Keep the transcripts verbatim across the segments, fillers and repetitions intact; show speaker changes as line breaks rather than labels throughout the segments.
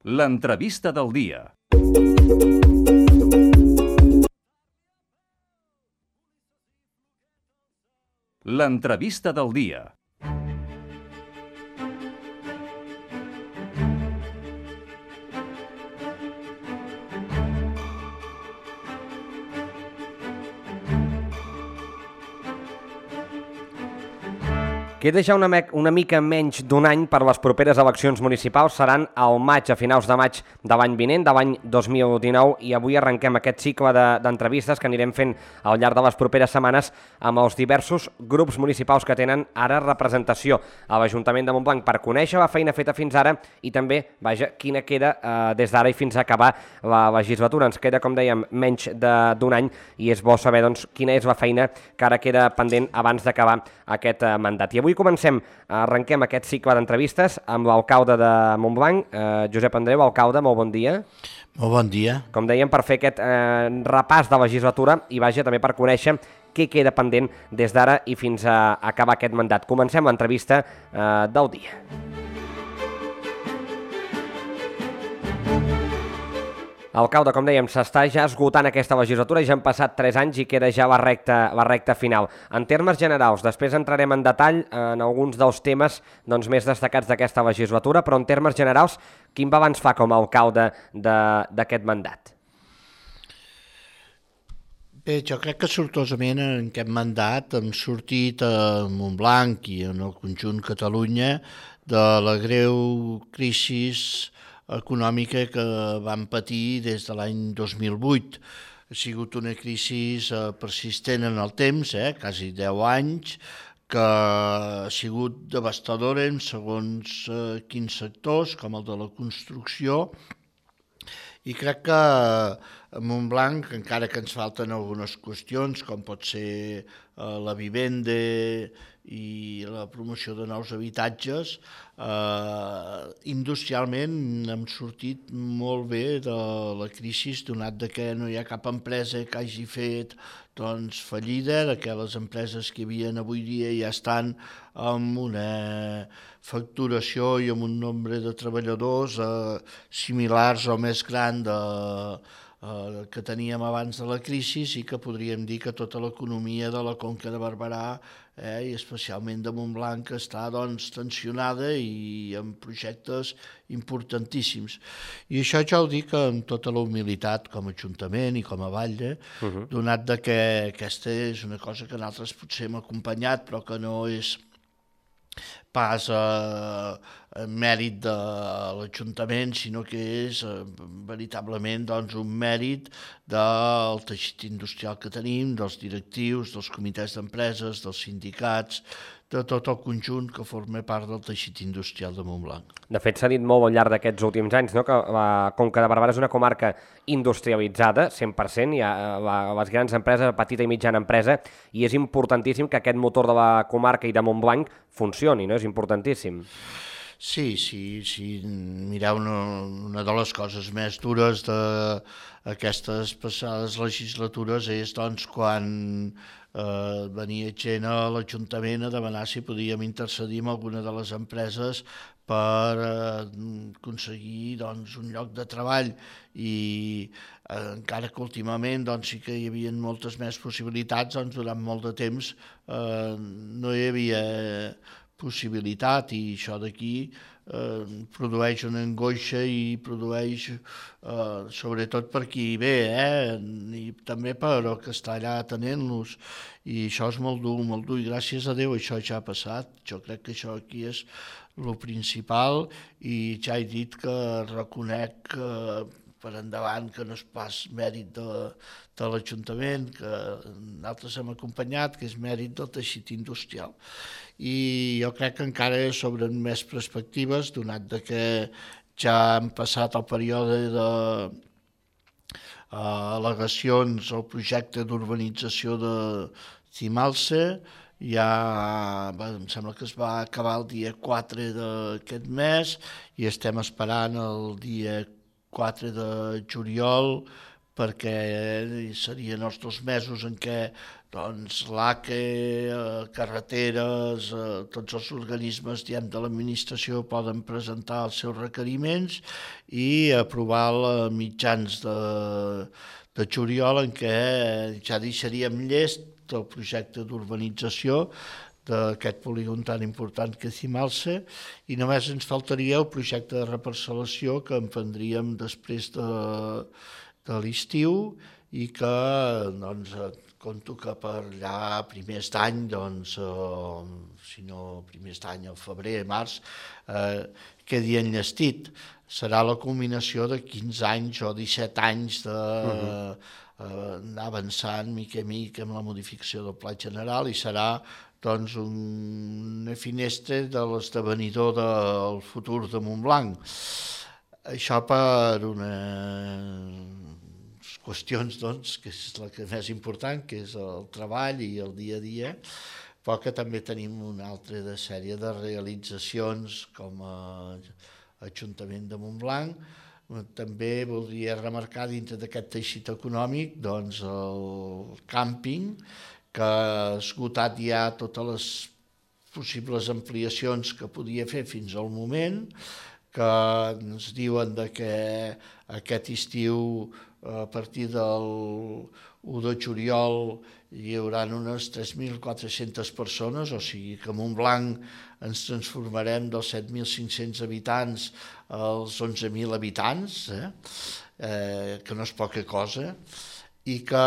L'entrevista del dia. L'entrevista del dia.
Queda ja una, una mica menys d'un any per les properes eleccions municipals. Seran al maig, a finals de maig de l'any vinent, de l'any dos mil dinou, i avui arrenquem aquest cicle d'entrevistes que anirem fent al llarg de les properes setmanes amb els diversos grups municipals que tenen ara representació a l'Ajuntament de Montblanc per conèixer la feina feta fins ara i també, vaja, quina queda eh, des d'ara i fins a acabar la legislatura. Ens queda, com dèiem, menys d'un any i és bo saber doncs, quina és la feina que ara queda pendent abans d'acabar aquest eh, mandat. I avui comencem, arrenquem aquest cicle d'entrevistes amb l'alcalde de Montblanc, eh, Josep Andreu. Alcalde, molt bon dia.
Molt bon dia.
Com dèiem, per fer aquest eh, repàs de legislatura i vaja també per conèixer què queda pendent des d'ara i fins a acabar aquest mandat. Comencem l'entrevista eh, del dia. Alcalde, com dèiem, s'està ja esgotant aquesta legislatura, ja han passat tres anys i queda ja la recta, la recta final. En termes generals, després entrarem en detall en alguns dels temes doncs, més destacats d'aquesta legislatura, però en termes generals, quin balanç fa com a alcalde d'aquest mandat?
Bé, jo crec que sortosament en aquest mandat hem sortit a Montblanc i en el conjunt Catalunya de la greu crisi econòmica que vam patir des de l'any dos mil vuit. Ha sigut una crisi persistent en el temps, eh, quasi deu anys, que ha sigut devastadora en segons eh, quins sectors, com el de la construcció, i crec que a Montblanc, encara que ens falten algunes qüestions, com pot ser eh, la vivenda i la promoció de nous habitatges, eh, industrialment hem sortit molt bé de la crisi, donat que no hi ha cap empresa que hagi fet doncs, fallida, que les empreses que hi havia avui dia ja estan amb una facturació i amb un nombre de treballadors eh, similars o més gran de, eh, que teníem abans de la crisi i que podríem dir que tota l'economia de la Conca de Barberà eh, i especialment de Montblanc està doncs, tensionada i amb projectes importantíssims. I això ja ho dic amb tota la humilitat com a Ajuntament i com a Batlle, uh -huh. donat de que aquesta és una cosa que nosaltres potser hem acompanyat però que no és pas a, a mèrit de l'Ajuntament, sinó que és eh, veritablement doncs, un mèrit del teixit industrial que tenim, dels directius, dels comitès d'empreses, dels sindicats, de tot el conjunt que forma part del teixit industrial de Montblanc.
De fet, s'ha dit molt al llarg d'aquests últims anys, no?, que la Conca de Barberà és una comarca industrialitzada, cent per cent, hi ha la, les grans empreses, la petita i mitjana empresa, i és importantíssim que aquest motor de la comarca i de Montblanc funcioni, no? És importantíssim.
Sí, sí, sí. Mireu, una, una de les coses més dures d'aquestes passades legislatures és doncs, quan eh, venia gent a l'Ajuntament a demanar si podíem intercedir amb alguna de les empreses per eh, aconseguir doncs, un lloc de treball i eh, encara que últimament doncs, sí que hi havia moltes més possibilitats, doncs, durant molt de temps eh, no hi havia possibilitat i això d'aquí eh, produeix una angoixa i produeix, eh, sobretot per qui ve, eh, i també per el que està allà atenent-los, i això és molt dur, molt dur, i gràcies a Déu això ja ha passat. Jo crec que això aquí és el principal i ja he dit que reconec que per endavant que no és pas mèrit de, de l'Ajuntament, que nosaltres hem acompanyat, que és mèrit del teixit industrial. I jo crec que encara s'obren més perspectives, donat que ja hem passat el període de uh, al·legacions al projecte d'urbanització de Cimalsa. Ja, bé, em sembla que es va acabar el dia quatre d'aquest mes i estem esperant el dia quatre de juliol perquè serien els dos mesos en què doncs, l'A C E, carreteres, tots els organismes diguem, de l'administració poden presentar els seus requeriments i aprovar a mitjans de, de juliol en què ja deixaríem llest el projecte d'urbanització d'aquest polígon tan important que és Cimalsa, i només ens faltaria el projecte de reparcel·lació que emprendríem després de, de l'estiu i que doncs, compto que per allà primers d'any, doncs, eh, si no primers d'any, al febrer, març, eh, quedi enllestit. Serà la culminació de quinze anys o disset anys de... Uh-huh. anar avançant mica a mica amb la modificació del Pla General i serà doncs, una finestra de l'esdevenidor del futur de Montblanc. Això per unes qüestions doncs, que és la que més important, que és el treball i el dia a dia, però que també tenim una altra de sèrie de realitzacions com a Ajuntament de Montblanc. També voldria remarcar dintre d'aquest teixit econòmic doncs, el càmping, que ha esgotat ja totes les possibles ampliacions que podia fer fins al moment, que ens diuen que aquest estiu, a partir del u de juliol, hi haurà unes tres mil quatre-centes persones, o sigui que a Montblanc ens transformarem dels set mil cinc-cents habitants als onze mil habitants, eh? Eh, que no és poca cosa, i que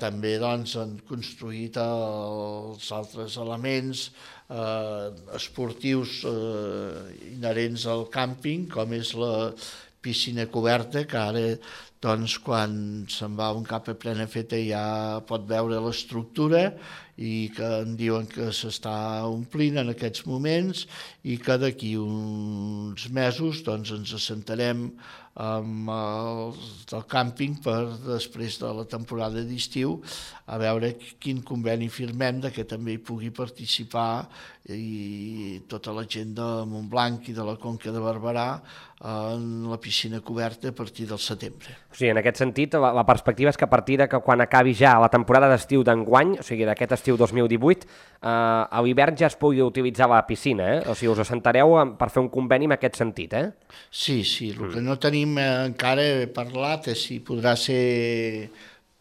també doncs, han construït els altres elements eh, esportius eh, inherents al càmping, com és la piscina coberta, que ara doncs, quan se'n va un cap a plena feta ja pot veure l'estructura i que em diuen que s'està omplint en aquests moments i que d'aquí uns mesos doncs, ens assentarem amb els del càmping per després de la temporada d'estiu a veure quin conveni firmem de que també hi pugui participar i tota la gent de Montblanc i de la Conca de Barberà en la piscina coberta a partir del setembre.
O sigui, en aquest sentit, la, la perspectiva és que a partir de que quan acabi ja la temporada d'estiu d'enguany, o sigui, d'aquest estiu dos mil divuit, eh, a l'hivern ja es pugui utilitzar la piscina, eh? O sigui, us assentareu per fer un conveni en aquest sentit, eh?
Sí, sí, el que no tenim eh, encara parlat és si podrà ser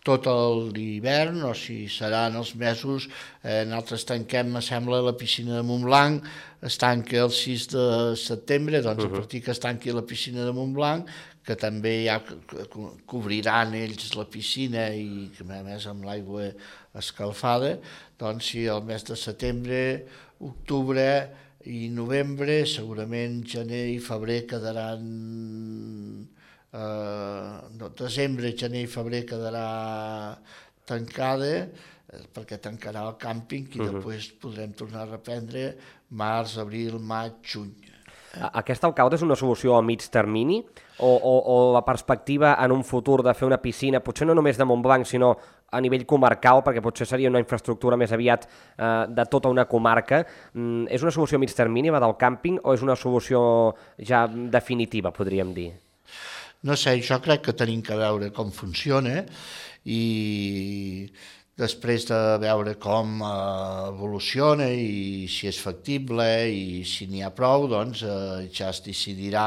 tot l'hivern o si seran els mesos, eh, nosaltres tanquem, me sembla, la piscina de Montblanc, es tanca el sis de setembre, doncs uh-huh. a partir que es tanqui la piscina de Montblanc, que també ja cobriran ells la piscina i que a més amb l'aigua escalfada, doncs si el mes de setembre, octubre i novembre, segurament gener i febrer quedaran... Uh, no, desembre, gener i febrer quedarà tancada eh, perquè tancarà el càmping i uh-huh. després podrem tornar a reprendre març, abril, maig, juny.
Aquesta alcalde és una solució a mig termini o, o, o la perspectiva en un futur de fer una piscina, potser no només de Montblanc sinó a nivell comarcal, perquè potser seria una infraestructura més aviat eh, de tota una comarca, mm, és una solució a mig termini la del càmping o és una solució ja definitiva, podríem dir?
No sé, jo crec que tenim que veure com funciona i després de veure com evoluciona i si és factible i si n'hi ha prou, doncs ja es decidirà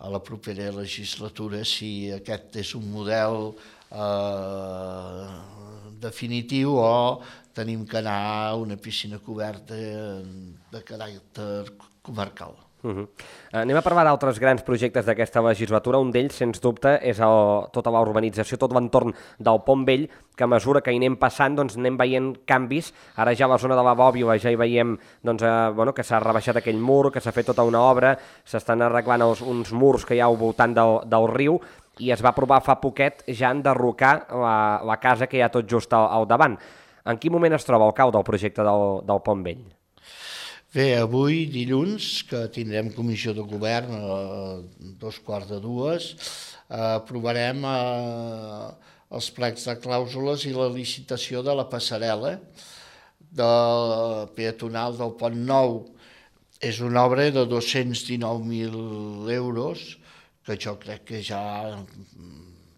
a la propera legislatura si aquest és un model eh, definitiu o tenim que anar a una piscina coberta de caràcter comarcal.
Uh-huh. Anem a parlar d'altres grans projectes d'aquesta legislatura. Un d'ells, sens dubte, és el, tota la urbanització, tot l'entorn del Pont Vell, que a mesura que hi anem passant doncs, anem veient canvis. Ara ja a la zona de la Bòbila ja hi veiem doncs, eh, bueno, que s'ha rebaixat aquell mur, que s'ha fet tota una obra, s'estan arreglant els, uns murs que hi ha al voltant del, del riu i es va aprovar fa poquet ja enderrocar la, la casa que hi ha tot just al, al davant. En quin moment es troba el cau del projecte del, del Pont Vell?
Bé, avui, dilluns, que tindrem comissió de govern a dos quarts de dues, aprovarem els plecs de clàusules i la licitació de la passarel·la de peatonal del Pont Nou. És una obra de dos-cents dinou mil euros, que jo crec que ja, en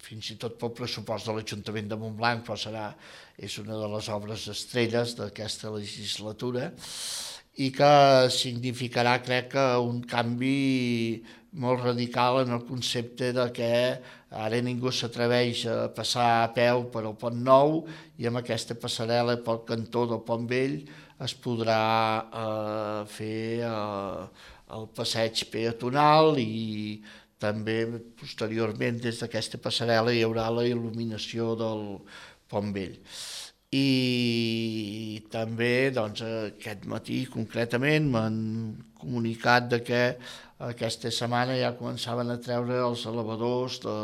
fins i tot pel pressupost de l'Ajuntament de Montblanc, però serà, és una de les obres estrelles d'aquesta legislatura, i que significarà, crec, que un canvi molt radical en el concepte de que ara ningú s'atreveix a passar a peu per al Pont Nou, i amb aquesta passarel·la pel cantó del Pont Vell es podrà eh, fer eh, el passeig peatonal, i també posteriorment des d'aquesta passarel·la hi haurà la il·luminació del Pont Vell. I també doncs, aquest matí concretament m'han comunicat de que aquesta setmana ja començaven a treure els elevadors de,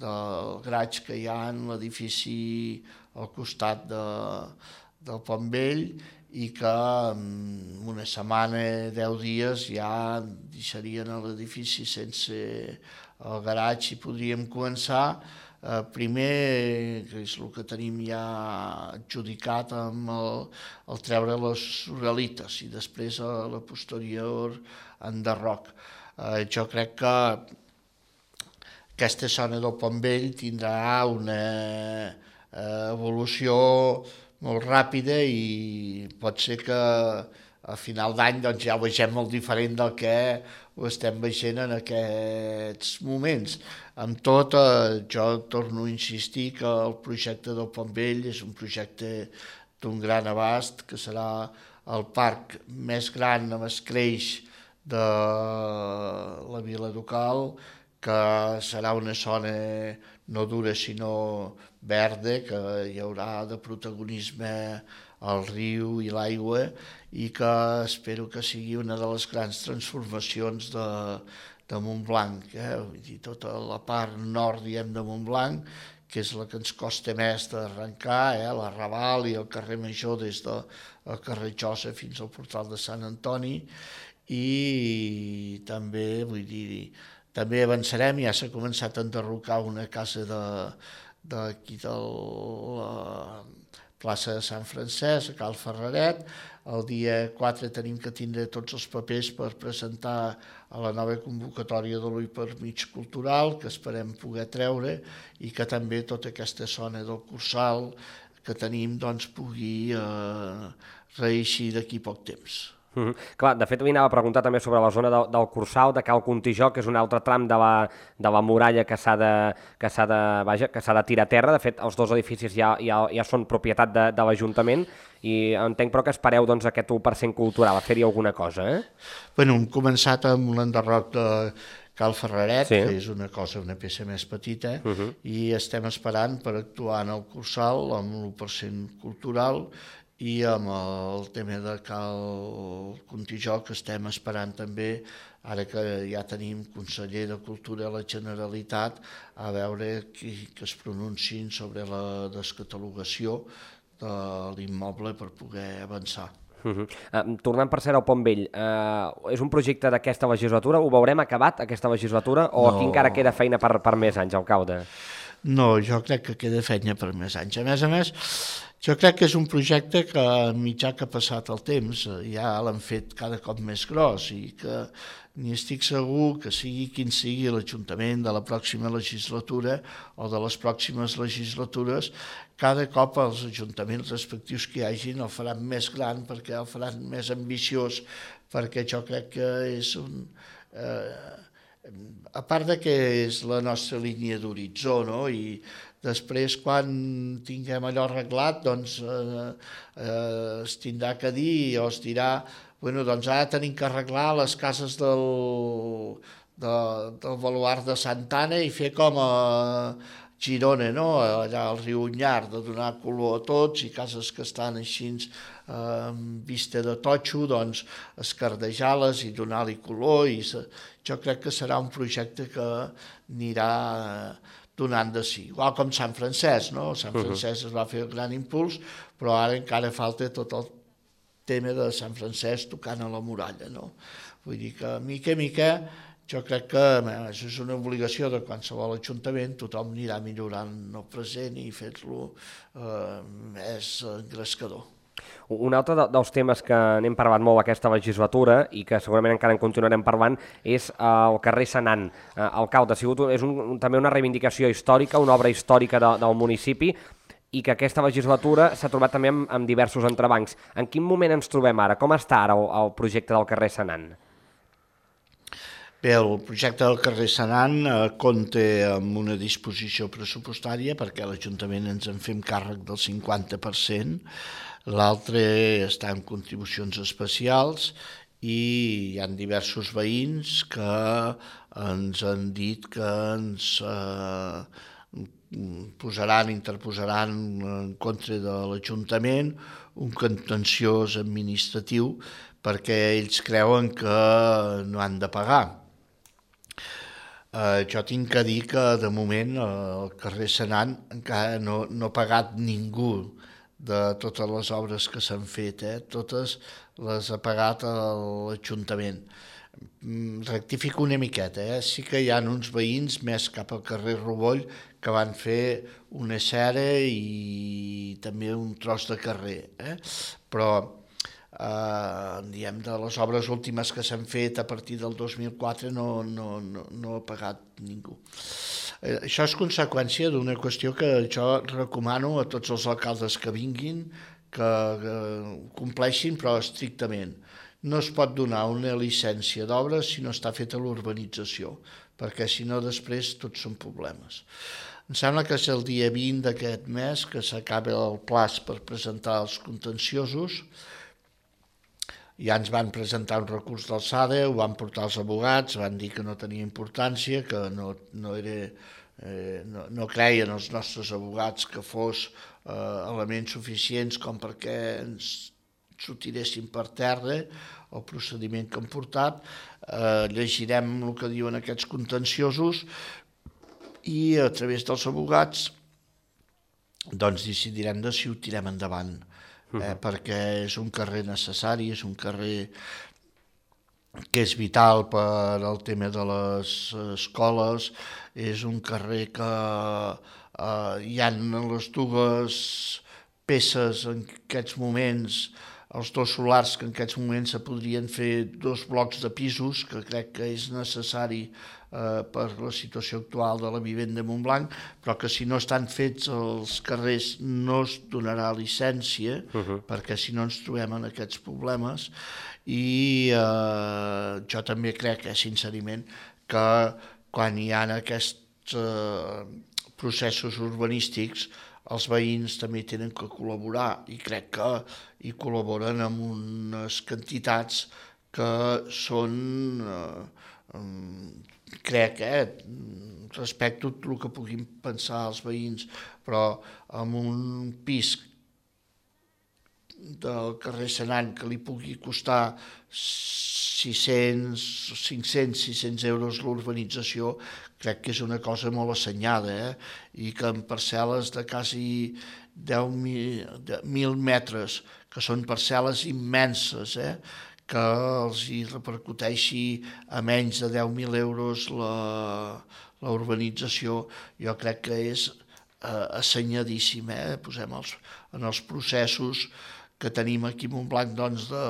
del graig que hi ha en l'edifici al costat de, del Pont Vell, i que en una setmana, deu dies, ja deixarien l'edifici sense el garatge i podríem començar. Eh, primer, que és el que tenim ja adjudicat, amb el, el treure les uralites, i després a la posterior enderroc. Eh, jo crec que aquesta zona del Pont Vell tindrà una eh, evolució molt ràpida, i pot ser que a final d'any doncs, ja ho vegem molt diferent del que ho estem veient en aquests moments. Amb tot, eh, jo torno a insistir que el projecte del Pont Vell és un projecte d'un gran abast, que serà el parc més gran amb escreix de la Vila Ducal, que serà una zona no dura sinó verda, que hi haurà de protagonisme el riu i l'aigua, i que espero que sigui una de les grans transformacions de, de Montblanc. Eh? Vull dir, tota la part nord, diem, de Montblanc, que és la que ens costa més d'arrencar, eh? la Raval i el carrer Major des del carrer Josa fins al portal de Sant Antoni, i també, vull dir, també avançarem, ja s'ha començat a enderrocar una casa d'aquí de, de la plaça de Sant Francesc, a Cal Ferreret. El dia quatre tenim que tindre tots els papers per presentar a la nova convocatòria de l'U I per mig cultural, que esperem poder treure, i que també tota aquesta zona del Cursal que tenim doncs, pugui eh, reeixir d'aquí poc temps.
Mm -hmm. Clar, de fet, avui anava a preguntar també sobre la zona de, del Cursal, de Cal Contijó, que és un altre tram de la, de la muralla que s'ha de, que s'ha de, vaja, que s'ha de tirar a terra. De fet, els dos edificis ja, ja, ja són propietat de, de l'Ajuntament, i entenc però que espereu doncs, aquest u per cent cultural, a fer-hi alguna cosa, eh?
Bueno, hem començat amb l'enderroc de Cal Ferreret,
sí.
que és una cosa, una peça més petita, uh -huh. i estem esperant per actuar en el Cursal amb l'u per cent cultural, i amb el tema de Cal Contijó, que estem esperant també, ara que ja tenim conseller de Cultura a la Generalitat, a veure qui, que es pronunciïn sobre la descatalogació de l'immoble per poder avançar.
Uh -huh. uh, tornant per cert al Pont Vell, uh, és un projecte d'aquesta legislatura? Ho veurem acabat, aquesta legislatura, o no. Aquí encara queda feina per, per més anys, alcalde?
No, jo crec que queda feina per més anys. A més a més, jo crec que és un projecte que, mitjà que ha passat el temps, ja l'han fet cada cop més gros, i que ni estic segur que sigui quin sigui l'Ajuntament de la pròxima legislatura o de les pròximes legislatures, cada cop els ajuntaments respectius que hi hagin el faran més gran, perquè el faran més ambiciós, perquè jo crec que és un... Eh, a part de que és la nostra línia d'horitzó, no? I després, quan tinguem allò arreglat, doncs eh, eh, es tindrà que dir, o es dirà, bueno, doncs ara tenim que arreglar les cases del, de, del baluard de Santa Anna i fer com a Girona, no? Allà al riu Onyar, de donar color a tots, i cases que estan així eh, amb vista de totxo, doncs escardejar-les i donar-li color. I se... Jo crec que serà un projecte que anirà donant de si. Igual com Sant Francesc, no? Sant Francesc es va fer el gran impuls, però ara encara falta tot el tema de Sant Francesc tocant a la muralla, no? Vull dir que, mica a mica, jo crec que bé, això és una obligació de qualsevol ajuntament, tothom anirà millorant el present i fer-lo eh, més engrescador.
Un altre de, dels temes que n'hem parlat molt aquesta legislatura i que segurament encara en continuarem parlant és eh, el carrer Senan. Eh, alcalde, ha sigut, és un, un, també una reivindicació històrica, una obra històrica de, del municipi i que aquesta legislatura s'ha trobat també amb, amb diversos entrebancs. En quin moment ens trobem ara? Com està ara el, el projecte del carrer Senan?
Bé, el projecte del carrer Senan eh, compta amb una disposició pressupostària perquè l'Ajuntament ens en fem càrrec del cinquanta per cent, l'altre està en contribucions especials i hi ha diversos veïns que ens han dit que ens eh, posaran, interposaran en contra de l'Ajuntament un contenciós administratiu perquè ells creuen que no han de pagar. Eh, jo tinc que dir que de moment el carrer Senan encara no, no ha pagat ningú de totes les obres que s'han fet, eh? Totes les ha pagat l'Ajuntament. Rectifico una miqueta, eh? Sí que hi ha uns veïns més cap al carrer Roboll que van fer una cera i també un tros de carrer, eh? Però eh, diem, de les obres últimes que s'han fet a partir del dos mil quatre no, no, no, no ha pagat ningú. Eh, això és conseqüència d'una qüestió que jo recomano a tots els alcaldes que vinguin que, que compleixin, però estrictament. No es pot donar una llicència d'obres si no està feta l'urbanització, perquè si no després tots són problemes. Em sembla que és el dia vint d'aquest mes que s'acaba el plaç per presentar els contenciosos. Ja ens van presentar un recurs d'alçada, ho van portar els abogats, van dir que no tenia importància, que no, no, era, eh, no, no creien els nostres abogats que fos eh, elements suficients com perquè ens s'ho tiressin per terra, el procediment que han portat. Eh, llegirem el que diuen aquests contenciosos i a través dels abogats doncs decidirem de si ho tirem endavant. Eh, perquè és un carrer necessari, és un carrer que és vital per al tema de les escoles, és un carrer que eh, hi ha les dues peces en aquests moments, els dos solars que en aquests moments se podrien fer dos blocs de pisos, que crec que és necessari eh, per la situació actual de la vivenda a Montblanc, però que si no estan fets els carrers no es donarà llicència, uh-huh. perquè si no ens trobem en aquests problemes. I eh, jo també crec, eh, sincerament, que quan hi ha aquests eh, processos urbanístics, els veïns també tenen que col·laborar i crec que hi col·laboren amb unes quantitats que són, eh, crec, eh, respecto tot el que puguin pensar els veïns, però amb un pis del carrer Senan que li pugui costar sis-cents, cinc-cents, sis-cents euros l'urbanització, crec que és una cosa molt assenyada, eh? I que en parcel·les de quasi deu mil metres, que són parcel·les immenses, eh? Que els hi repercuteixi a menys de deu mil euros la, la urbanització, jo crec que és eh, assenyadíssim, eh? Posem els, en els processos que tenim aquí a Montblanc, doncs, de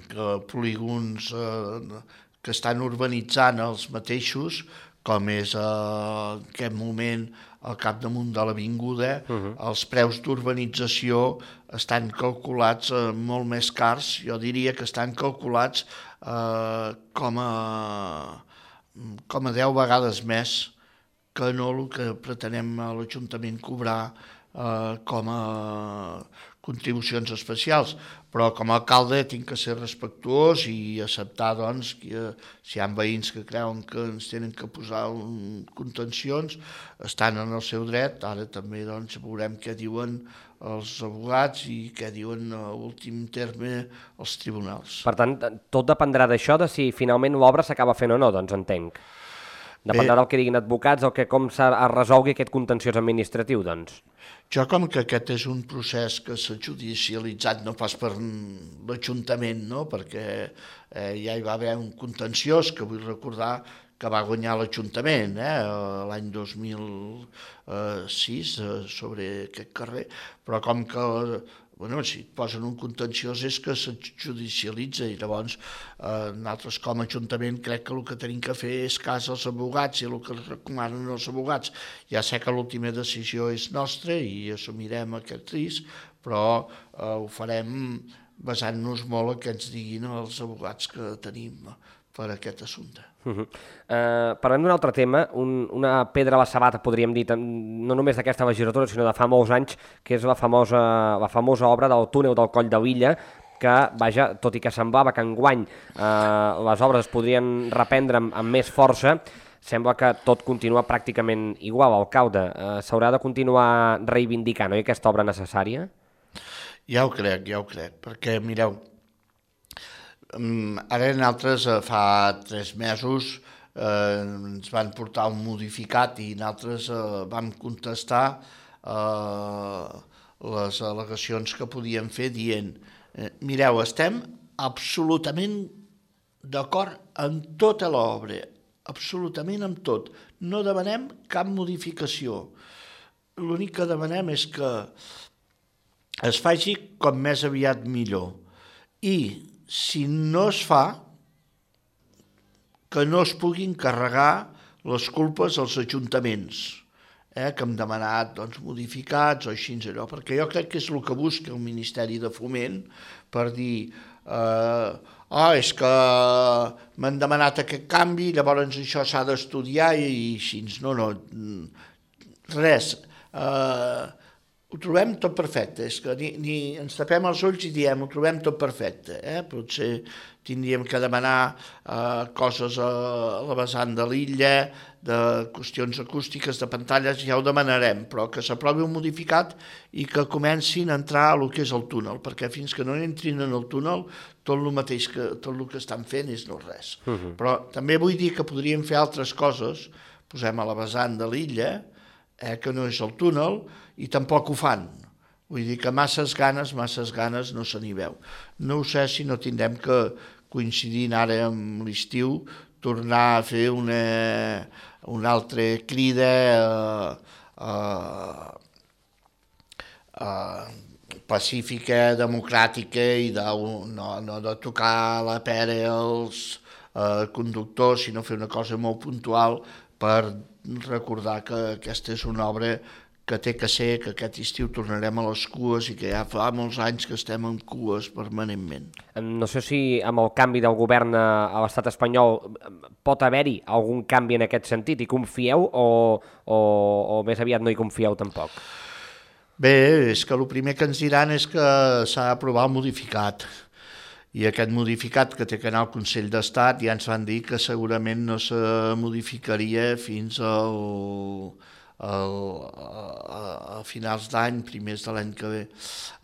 que polígons eh, que estan urbanitzant els mateixos, com és eh, en aquest moment al capdamunt de l'avinguda, uh-huh. els preus d'urbanització estan calculats eh, molt més cars, jo diria que estan calculats eh, com, a, com a deu vegades més que no el que pretenem a l'Ajuntament cobrar eh, com a contribucions especials, però com a alcalde tinc que ser respectuós i acceptar, doncs, que si hi ha veïns que creuen que ens tenen que posar un, contencions, estan en el seu dret. Ara també, doncs, veurem què diuen els abogats i què diuen, a últim terme, els tribunals.
Per tant, tot dependrà d'això, de si finalment l'obra s'acaba fent o no, doncs entenc. Dependrà del que diguin advocats o que com es resolgui aquest contenciós administratiu, doncs.
Jo, com que aquest és un procés que s'ha judicialitzat no pas per l'Ajuntament, no? Perquè eh, ja hi va haver un contenciós que vull recordar que va guanyar l'Ajuntament eh, l'any dos mil sis eh, sobre aquest carrer, però com que bueno, si et posen un contenciós és que se judicialitza i llavors eh, nosaltres com a Ajuntament crec que el que tenim que fer és cas als abogats i el que recomanen els abogats. Ja sé que l'última decisió és nostra i assumirem aquest risc, però eh, ho farem basant-nos molt en què ens diguin els abogats que tenim per aquest assumpte.
Uh -huh. uh, parlem d'un altre tema, un, una pedra a la sabata, podríem dir, no només d'aquesta legislatura, sinó de fa molts anys, que és la famosa, la famosa obra del túnel del Coll de Lilla, que, vaja, tot i que semblava que enguany uh, les obres es podrien reprendre amb, amb més força, sembla que tot continua pràcticament igual, alcalde. Uh, S'haurà de continuar reivindicant, oi, aquesta obra necessària?
Ja ho crec, ja ho crec, perquè, mireu, ara nosaltres fa tres mesos eh, ens van portar un modificat i nosaltres eh, vam contestar eh, les al·legacions que podíem fer dient eh, mireu, estem absolutament d'acord amb tota l'obra, absolutament amb tot. No demanem cap modificació. L'únic que demanem és que es faci com més aviat millor. I si no es fa, que no es puguin carregar les culpes als ajuntaments, eh, que hem demanat doncs, modificats o així, allò, perquè jo crec que és el que busca el Ministeri de Foment per dir eh, ah, és que m'han demanat aquest canvi, llavors això s'ha d'estudiar i així. No, no, res. Eh, ho trobem tot perfecte, és que ni, ni ens tapem els ulls i diem ho trobem tot perfecte, eh? Potser tindríem que demanar eh, coses a, a la vessant de l'illa, de qüestions acústiques, de pantalles, ja ho demanarem, però que s'aprovi un modificat i que comencin a entrar a lo que és el túnel, perquè fins que no entrin en el túnel tot el mateix que tot el que estan fent és no res. Uh -huh. Però també vull dir que podríem fer altres coses, posem a la vessant de l'illa, eh, que no és el túnel, i tampoc ho fan. Vull dir que masses ganes, masses ganes no se n'hi veu. No ho sé si no tindrem que, coincidint ara amb l'estiu, tornar a fer una, una altra crida eh, eh, eh, pacífica, democràtica i de, no, no de tocar la pera als eh, conductors, sinó fer una cosa molt puntual per recordar que aquesta és una obra que té que ser, que aquest estiu tornarem a les cues i que ja fa molts anys que estem en cues permanentment.
No sé si amb el canvi del govern a l'estat espanyol pot haver-hi algun canvi en aquest sentit, i confieu o, o, o més aviat no hi confieu tampoc?
Bé, és que el primer que ens diran és que s'ha d'aprovar el modificat. I aquest modificat que té que anar al Consell d'Estat ja ens van dir que segurament no se modificaria fins al... A, a, a finals d'any, primers de l'any que ve.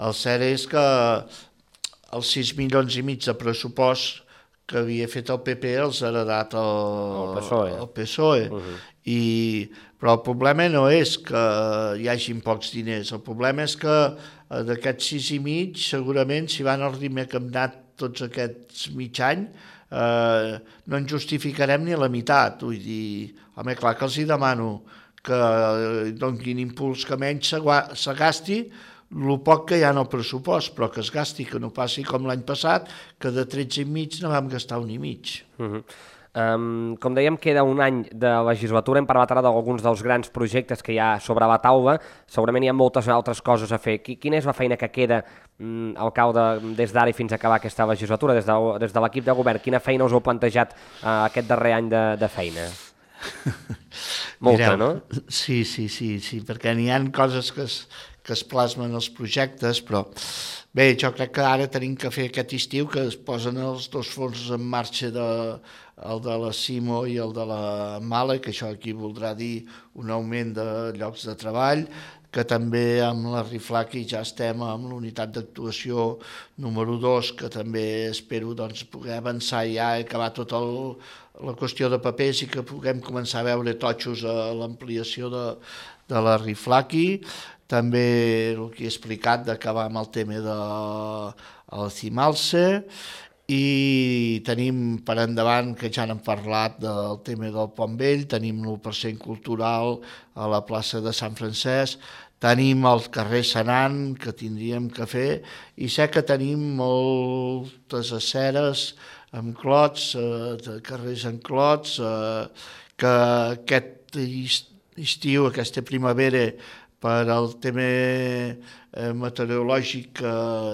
El cert és que els sis milions i mig de pressupost que havia fet el P P els ha heredat el,
el P S O E.
El P S O E. Uh -huh. I, però el problema no és que hi hagin pocs diners, el problema és que d'aquests sis i mig segurament si van al ritme que hem anat tots aquests mig any eh, no en justificarem ni la meitat. Vull dir, home, clar que els hi demano que donquin impuls que menys se gasti el poc que hi ha en el pressupost, però que es gasti, que no passi com l'any passat, que de tretze i mig no vam gastar un i mig.
Uh -huh. um, com dèiem, queda un any de legislatura, hem parlat ara d'alguns dels grans projectes que hi ha sobre la taula, segurament hi ha moltes altres coses a fer. Quina és la feina que queda, um, alcalde, des d'ara i fins a acabar aquesta legislatura, des de, des de l'equip de govern? Quina feina us heu plantejat uh, aquest darrer any de, de feina? Molta,
Mireu,
no?
Sí, sí, sí, sí, perquè n'hi ha coses que es, que es plasmen als projectes, però bé, jo crec que ara tenim que fer aquest estiu que es posen els dos fons en marxa, de, el de la Simo i el de la Mala, que això aquí voldrà dir un augment de llocs de treball, que també amb la Riflaqui ja estem amb l'unitat d'actuació número dos, que també espero doncs, poder avançar ja i acabar tot el la qüestió de papers i que puguem començar a veure totxos a l'ampliació de, de la Riflaqui. També el que he explicat d'acabar amb el tema del Cimalsa i tenim per endavant, que ja n'hem parlat del tema del Pont Vell, tenim l'u per cent cultural a la plaça de Sant Francesc, tenim el carrer Senan, que tindríem que fer, i sé que tenim moltes aceres amb clots, eh, carrers en clots, eh, que aquest estiu, aquesta primavera, per al tema eh, meteorològic que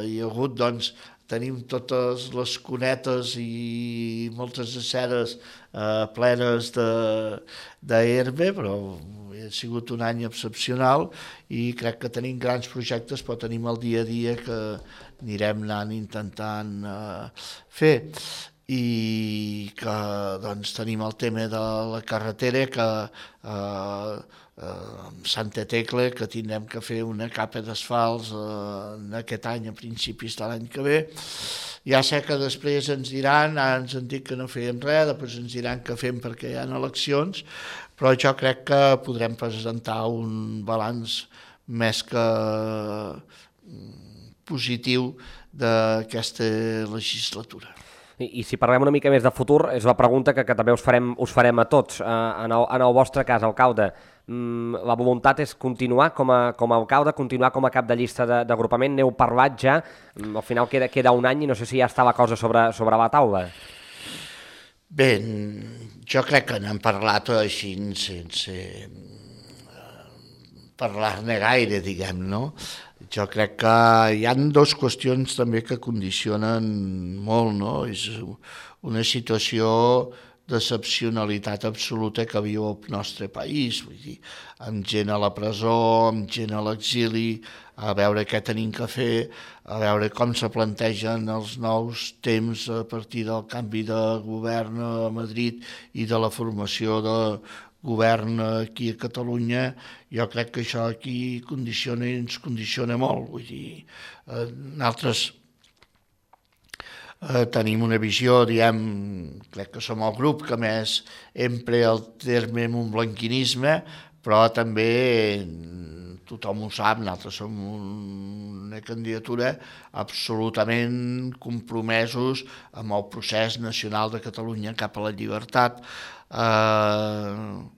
hi ha hagut, doncs, tenim totes les cunetes i moltes aceres eh, plenes d'herba, però ha sigut un any excepcional i crec que tenim grans projectes, però tenim el dia a dia que anirem anant intentant eh, fer. I que doncs, tenim el tema de la carretera que eh, amb Santa Tecla, que tindrem que fer una capa d'asfalts eh, aquest any, a principis de l'any que ve. Ja sé que després ens diran, ara ens han dit que no fèiem res, després ens diran que fem perquè hi ha eleccions, però jo crec que podrem presentar un balanç més que positiu d'aquesta legislatura.
I, I si parlem una mica més de futur, és la pregunta que, que també us farem, us farem a tots. Uh, en, el, en el vostre cas, alcalde, um, la voluntat és continuar com a, com a alcalde, continuar com a cap de llista d'agrupament? N'heu parlat ja? Um, al final queda, queda un any i no sé si ja està la cosa sobre, sobre la taula.
Bé, jo crec que n'hem parlat així sense parlar-ne gaire, diguem, no? Jo crec que hi ha dues qüestions també que condicionen molt, no? És una situació d'excepcionalitat absoluta que viu el nostre país, vull dir, amb gent a la presó, amb gent a l'exili, a veure què tenim que fer, a veure com se plantegen els nous temps a partir del canvi de govern a Madrid i de la formació de govern aquí a Catalunya. Jo crec que això aquí condiciona i ens condiciona molt. Vull dir, eh, nosaltres eh, tenim una visió, diem, crec que som el grup que més empra el terme montblanquinisme, però també tothom ho sap, nosaltres som una candidatura absolutament compromesos amb el procés nacional de Catalunya cap a la llibertat. Uh,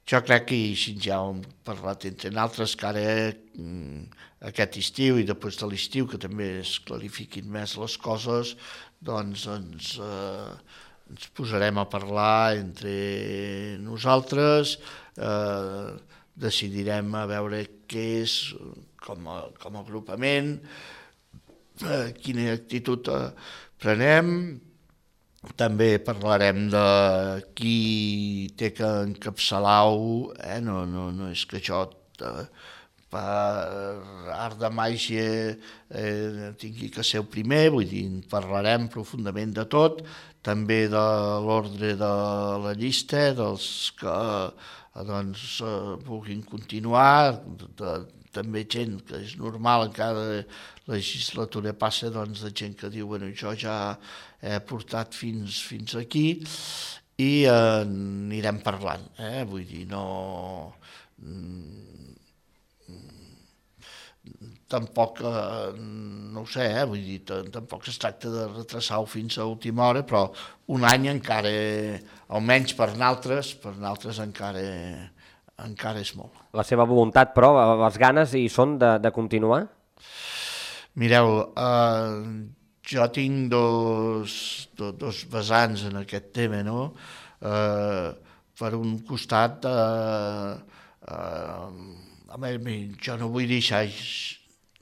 jo crec que així ja hem parlat entre nosaltres que ara aquest estiu i després de l'estiu que també es clarifiquin més les coses, doncs ens, uh, ens posarem a parlar entre nosaltres, uh, decidirem a veure què és com a, com a agrupament, uh, quina actitud uh, prenem. També parlarem de qui té que encapçalar-ho, eh? no, no, no és que això eh, per art de màgia eh, tingui que ser el primer, vull dir, parlarem profundament de tot, també de l'ordre de la llista, dels que doncs, eh, vulguin continuar, de, de, també gent que és normal, en cada legislatura passa doncs, de gent que diu, bueno, jo ja he portat fins, fins aquí i eh, anirem parlant, eh? Vull dir, no... Tampoc, eh, no ho sé, eh? Vull dir, tampoc es tracta de retrasar-ho fins a última hora, però un any encara, almenys per nosaltres, per nosaltres encara, encara és molt.
La seva voluntat, però, les ganes hi són de, de continuar?
Mireu, eh, jo tinc dos, dos, dos vessants en aquest tema, no? Eh, per un costat, eh, eh, a mi, jo no vull deixar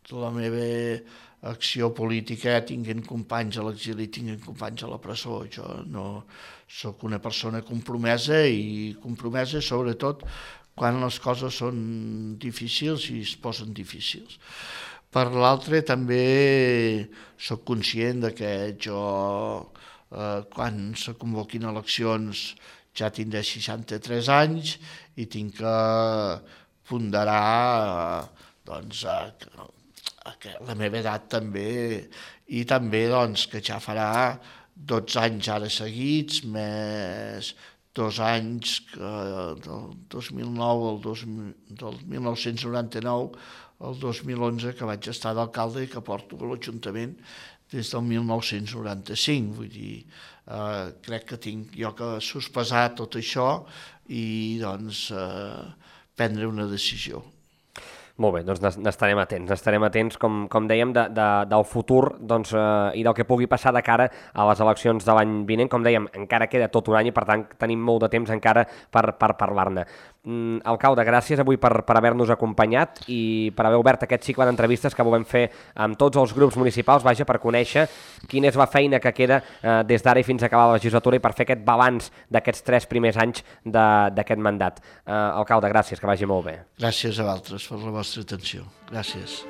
la meva acció política tinguent companys a l'exili, tinguent companys a la presó. Jo no sóc una persona compromesa i compromesa sobretot quan les coses són difícils i es posen difícils. Per l'altre, també sóc conscient de que jo, eh, quan se convoquin eleccions, ja tindré seixanta-tres anys i tinc que ponderar doncs, a, a la meva edat també, i també doncs, que ja farà dotze anys ara seguits, més dos anys que del dos mil nou al dos, del mil nou-cents noranta-nou el dos mil onze, que vaig estar d'alcalde i que porto a l'Ajuntament des del mil nou-cents noranta-cinc. Vull dir, eh, crec que tinc jo que sospesar tot això i doncs, eh, prendre una decisió.
Molt bé, doncs n'estarem atents, n'estarem atents, com, com dèiem, de, de, del futur doncs, eh, i del que pugui passar de cara a les eleccions de l'any vinent. Com dèiem, encara queda tot un any i, per tant, tenim molt de temps encara per, per parlar-ne. Mm, alcalde, gràcies avui per, per haver-nos acompanyat i per haver obert aquest cicle d'entrevistes que volem fer amb tots els grups municipals, vaja, per conèixer quina és la feina que queda eh, des d'ara i fins a acabar la legislatura i per fer aquest balanç d'aquests tres primers anys d'aquest mandat. Eh, alcalde, gràcies, que vagi molt bé.
Gràcies a vosaltres per la vostra atenció. Gràcies.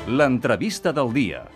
L'entrevista del dia.